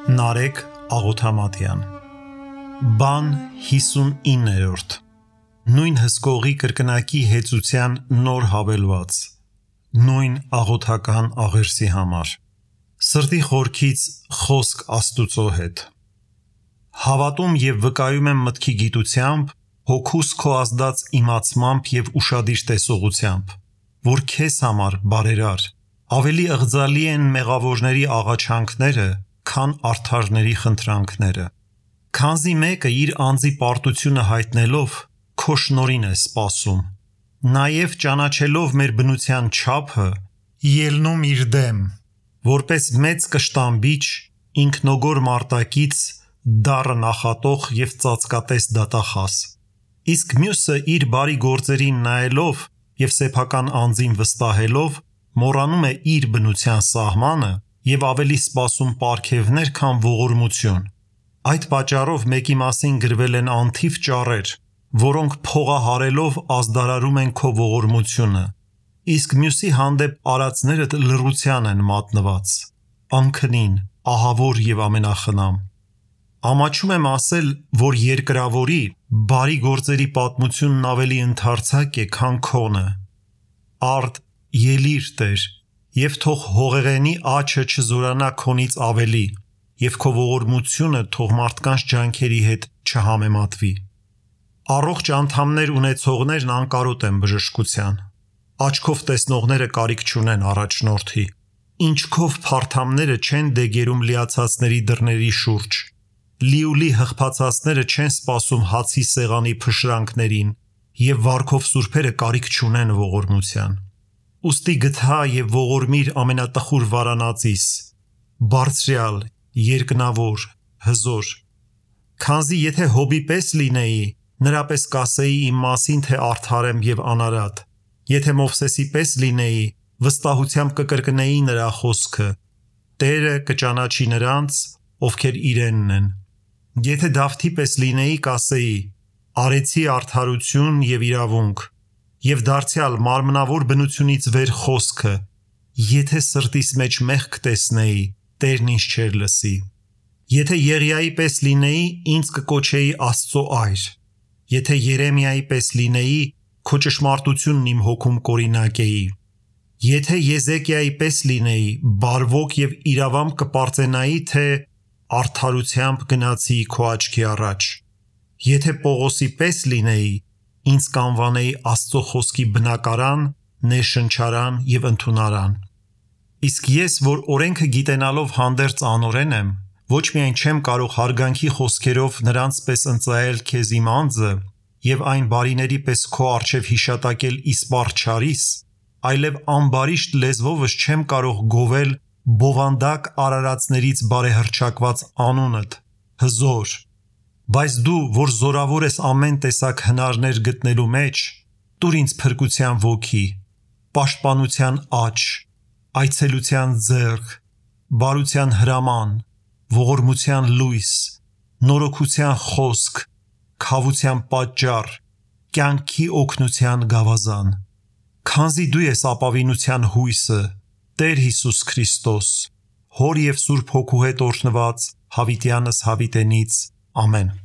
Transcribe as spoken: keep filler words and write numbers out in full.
Նարեկ Աղոթամատյան Բան հիսունիններորդ Նույն հսկողի կրկնակի հեծության նոր հավելված Նույն աղոթական աղերսի համար Սրտի խորքից խոսք Աստուծո հետ Հավատում և վկայում եմ մտքի գիտությամբ, հոգուս քո ազդած իմացմամբ և ուշադիր տեսողությամբ, որ քեզ համար բարերար, ավելի ըղձալի են մեղավորների աղաչանքները, քան արդարների խնդրանքները, քանզի մեկը իր անձի պարտությունը հայտնելով քո շնորհին է սպասում, նաև ճանաչելով մեր բնության չափը, ելնում իր դեմ, որպես մեծ կշտամբիչ, ինքնոգոր մարտակից, դառը նախատող և ծածկատես դատախազ, իսկ մյուսը իր բարի գործերին նայելով և սեփական անձին վստահելով, մոռանում է իր բնության սահմանը և ավելի սպասում պարգևներ, քան ողորմություն, այդ պատճառով մեկի մասին գրվել են անթիվ ճառեր, որոնք փողահարելով ազդարարում են քո ողորմությունը, իսկ մյուսի հանդեպ արածներդ լռության են մատնված, անքնին, ահավոր և ամենախնամ, ամաչում եմ ասել, որ երկրավորի, բարի գործերի պատմությունն ավելի ընդարձակ է, քան քոնը, արդ ելիր Տեր, և թող հողեղենի աչը չզորանա քոնից ավելի, և քո ողորմությունը թող մարդկանց ջանքերի հետ չհամեմատվի, առողջ անդամներ ունեցողներն անկարոտ են բժշկության, աչքով տեսնողները կարիք չունեն առաջնորդի, ինչքով փարթամները չեն դեգերում լիացածների դռների շուրջ, լիուլի հղբացածները չեն սպասում հացի սեղանի փշրանքներին, և վարքով սուրբերը կարիք չունեն ողորմության, ուստի գթա և ողորմիր ամենատխուր վարանածիս, բարձրյալ, երկնավոր, հզոր, քանզի եթե Հոբի պես լինեի, նրա պես կասեի իմ մասին, թե արդար եմ և անարատ, եթե Մովսեսի պես լինեի, վստահությամբ կկրկնեի նրա խոսքը, Տերը կճանաչի նրանց, ովքեր իրենն են, եթե Դավթի պես լինեի, կասեի, արեցի արդարություն և իրավունք, և դարձյալ մարմնավոր բնությունից վեր խոսքը, եթե սրտիս մեջ մեղք տեսնեի, Տերն ինձ չէր լսի, եթե Եղիայի պես լինեի, ինձ կկոչեի Աստծո այր, եթե Երեմիայի պես լինեի, քո ճշմարտությունն իմ հոգում կօրինակեի, եթե Եզեկիայի պես լինեի, բարվոք և իրավամբ կպարծենայի, թե արդարությամբ գնացի քո աչքի առաջ, եթե Պողոսի պես լինեի, ինձ կանվանեի Աստծո խոսքի բնակարան, ներշնչարան և ընդունարան, իսկ ես, որ օրենքը գիտենալով հանդերձ անօրեն եմ, ոչ միայն չեմ կարող հարգանքի խոսքերով նրանց պես ընծայել քեզ իմ անձը և այն բարիների պես քո առջև հիշատակել իսպառ չարիս, այլև ամբարիշտ լեզվովս չեմ կարող գովել բովանդակ արարածներից բարեհռչակված անունդ, հզոր, բայց դու, որ զորավոր ես ամեն տեսակ հնարներ գտնելու մեջ, տուր ինձ փրկության ոգի, պաշտպանության աջ, այցելության ձեռք, բարության հրաման, ողորմության լույս, նորոգության խոսք, քավության պատճառ, կյանքի օգնության գավազան, քանզի դու ես ապավինության հույսը, Տեր Հիսուս Քրիստոս, Հոր և Սուրբ Հոգու հետ օրհնված հավիտյանս հավիտենից, ամեն։